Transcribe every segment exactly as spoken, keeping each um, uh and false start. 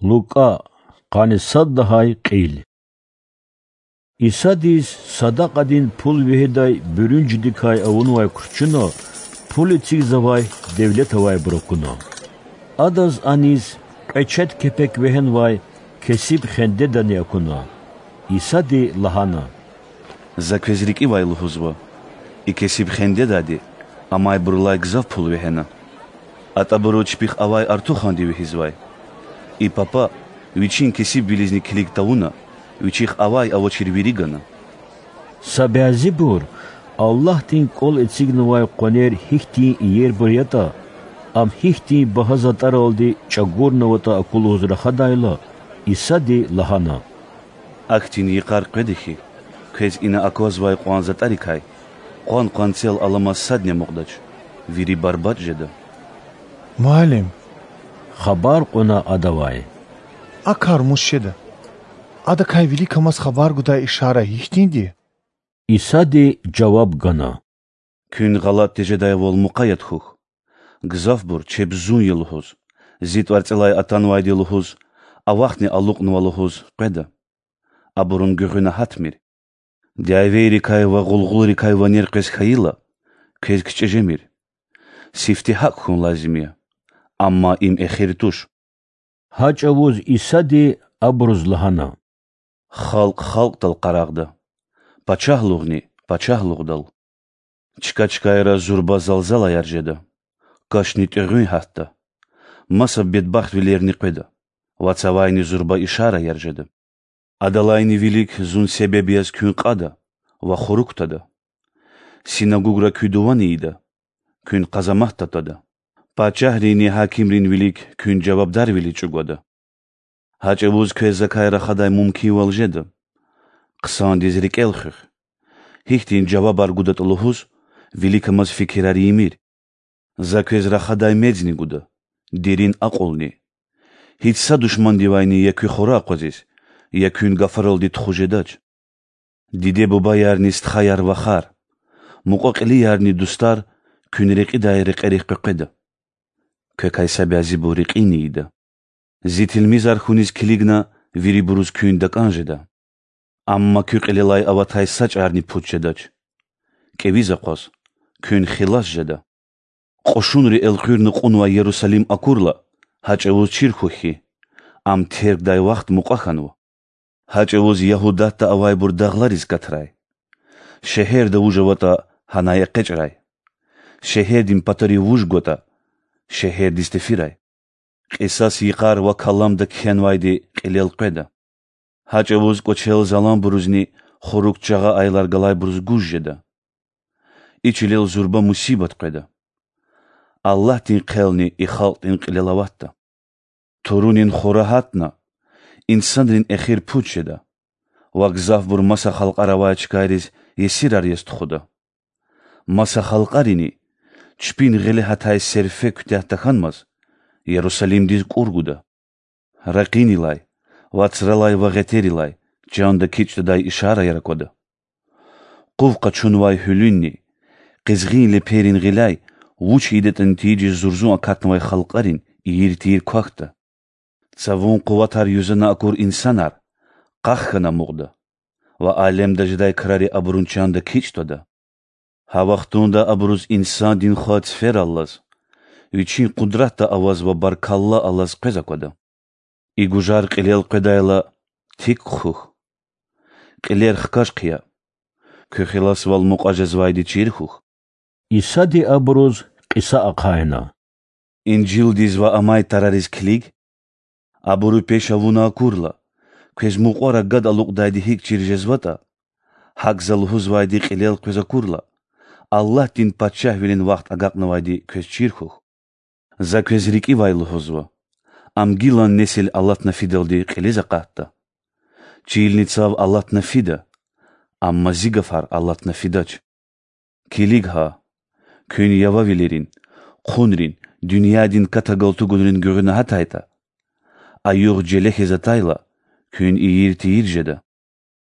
Лукӏа, къанни сад лагьай кьил. Исадиз садакьадин пул вегьидай буьруьнжидикай авунвай кручуна пул эцигзавай девлет авайбур акуна. Адаз аниз кьве чед кепек вегьенвай кесиб хендедани акуна. Исади лагьана: За квез рикӏивай лугьузва: и кесиб хендедайди амайбурулай гзаф пул вегьена. Атӏабуру чпихъ авай артуханди вегьизвай. И папа вичин кесибвилизни килиг тавуна, вичихъ авай-авачир вири гана. Са бязибур Аллагьдин кӏвал эцигнавай къванер гьихьтин иербур ятӏа, ам гьихьтин багьа затӏаралди чӏагурнаватӏа аку лугьуз рахадайла, Исади лагьана: Ахьтин йикъар къведа хьи, квез ина аквазвай кьван затӏарикай къван къванцел аламаз садни амукьдач, вири барбатӏ жеда. Муаллим, хабар кьуна адавай, а кар мус жеда? Адакай виликамаз хабар гудай ишара гьихьтинди я? Исади жаваб гана: Куьн гъалатӏ тежедайвал мукъаят хьухь. Гзафбур чеб зун я лугьуз, зи тӏварцӏелай атанвайди лугьуз, авахьни алукьнава лугьуз къведа. Абурун гуьгъуьна гьатмир. Дявейрикай ва гъулгъулрикай ванер къвез хьайила, квез кичӏе жемир. Сифте гьакӏ хьун лазим я. Амма им эхир туш. Гьа чӏавуз Исади абуруз лагьана: Халкь халкьдал къарагъда, пачагьлугъни пачагьлугъдал. Чка-чкайра зурба залзалаяр жеда, кашни тӏуьгъуьн гьатда, маса бедбахтвилерни къведа ва цавайни зурба ишараяр жеда. Адалайни вилик зун себеб яз куьн кьада ва хурук кутада. Синагугра куь дувани ийида, куьн къазамат татада. Пачагьринни гьакимрин вилик куьн жавабдарвилиз чӏугвада. Гьа чӏавуз квез закай рахадай мумкинвал жеда. Хъсандиз рикӏел хуьх. Гьихьтин жавабар гудатӏа лугьуз, виликамаз фикирар ийимир. За квез рахадай мецни гуда, дерин акьулни. Гьич са душмандивайни я куь хура акъвазиз, я куьн гафаралди тухуз жедач. Диде-бубаярни стхаяр-вахар, мукьва-кьилиярни дустар куьн рекьидай рекьерихъ къекъведа. Квекай са бязибур рекьини ийида. Зи тилмизар хьуниз килигна вирибуруз куьн такӏан жеда. Амма куь кьилелай аватай са чӏарни пуч жедач. Кӏевиз акъваз, куьн хилас жеда. Кьушунри элкъуьрна кьунвай Ярусалим акурла, гьа чӏавуз чир хьухь хьи, ам тергдай вахт мукьва хьанва. Гьа чӏавуз Ягьудатда авайбур дагълариз катрай. Шегьерда вуж аватӏа, гьанай экъечӏрай. Шегьердин патарив вуж гватӏа, шегьердиз тефирай. Кьисас йикъар ва каламда кхьенвайди кьилел къведа. Гьа чӏавуз кӏвачел заланбурузни хурук чагъа аялар галайбуруз гуж жеда. И чилел зурба мусибат къведа. Аллагьдин хъелни и халкьдин кьилел аватда. Турунин хура гьатна, инсанрин эхир пуч жеда ва гзафбур маса халкьар авай чкайриз есирар яз тухуда. Маса халкьарини, чпин гъиле гьатай серфе куьтягь тахьанмаз, Ярусалимдиз кӏур гуда. Ракъинилай, вацралай ва гъетерилай чанда кичӏ твадай ишараяр аквада. Къув къачунвай гьуьлуьнни, къизгъин лепейрин гъиляй вуч ийидатӏани тийижиз зурзун акатнавай халкьарин ийир-тийир квахьда. Цавун къуватар юзана акур инсанар къах хьана амукьда ва алемда жедай крари абурун чанда кичӏ твада. Гьа вахтунда абуруз Инсандин Хва цифераллаз, Вичин къудратда аваз ва баркалла алаз къвез аквада. И гужар кьилел къведайла, тик хъхьухь. Кьилер хкаж хъия. Куь хиласвал мукьва жезвайди чир хьухь. Исади абуруз кьиса ахъайна: Инжилдиз ва амай тарариз килиг. Абуру пеш авуна акурла, квез мукьвара гад алукьдайди гьикӏ чир жезватӏа, гьакӏ За лугьузвайди кьилел къвез акурла, Аллагьдин Пачагьвилин вахт агакьнавайди квез чир хьухь. За квез рикӏивай лугьузва: ам гилан несил алатна фидалди кьилиз акъатда. Чилни цав алатна фида, амма Зи гафар алатна фидач. Килиг гьа, куьн явавилерин, хъунрин, дуьньядин ката-галтугунрин гуьгъуьна гьатайтӏа, а югъ желе хьиз атайла, куьн ийир-тийир жеда.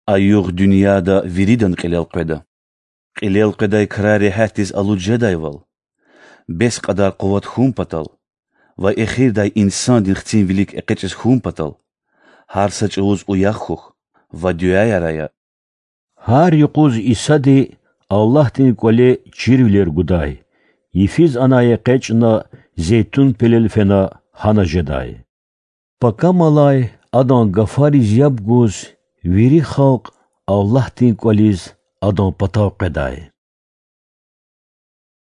А югъ дуьньяда виридан кьилел къведа. Кьилел къведай крар регьятдиз алуд жедайвал, бес кьадар къуват хьун патал, ва эхирдай Инсандин Хцин вилик экъечӀиз хьун патал, гьар са чӀавуз уях хьухь ва дуьаяр ая. Гьар юкъуз Исади Аллагьдин КӀвале чирвилер гудай, йифиз анай экъечӀна, Зейтун пелел фена гьана жедай. Пакамалай Адан гафариз яб гуз, вири халкь Аллагьдин КӀвализ Адан патав къведай.